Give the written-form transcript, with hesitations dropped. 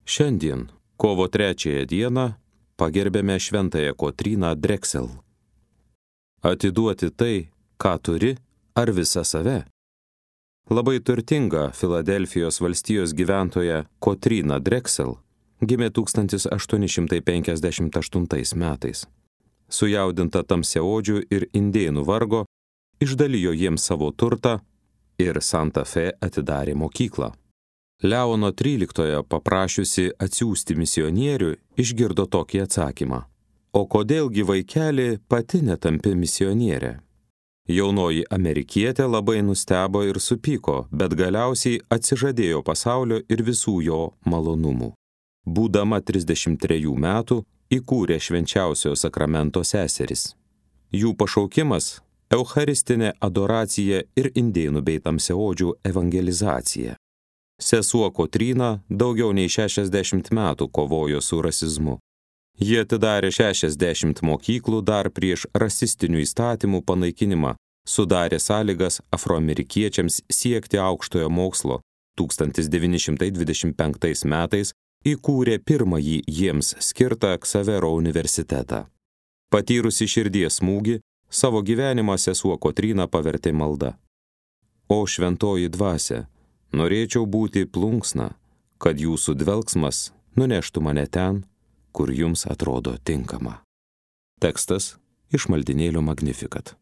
Šiandien, kovo 3 dieną, pagerbėme šventąją Kotryną Drexel. Atiduoti tai, ką turi, ar visą save? Labai turtinga Filadelfijos valstijos gyventoja Kotryna Drexel gimė 1858 metais. Sujaudinta tamsiaodžių ir indėnų vargo, išdalijo jiems savo turtą ir Santa Fe atidarė mokyklą. Leono XIII paprašiusi atsiųsti misionierių, išgirdo tokį atsakymą: o kodėlgi vaikeli pati netampi misionierė? Jaunoji amerikietė labai nustebo ir supyko, bet galiausiai atsižadėjo pasaulio ir visų jo malonumų. Būdama 33 metų, įkūrė švenčiausiojo sakramento seseris. Jų pašaukimas – eucharistinė adoracija ir indėnų bei tamsiaodžių evangelizacija. Sesuo Kotryna daugiau nei 60 metų kovojo su rasizmu. Jie atidarė 60 mokyklų dar prieš rasistinių įstatymų panaikinimą, sudarė sąlygas afroamerikiečiams siekti aukštojo mokslo. 1925 metais įkūrė pirmąjį jiems skirtą Ksavero universitetą. Patyrusi širdies smūgį, savo gyvenimą sesuo Kotryna pavertė malda. O šventoji dvasia, norėčiau būti plunksna, kad jūsų dvelksmas nuneštų mane ten, kur jums atrodo tinkama. Tekstas iš maldynėlio Magnificat.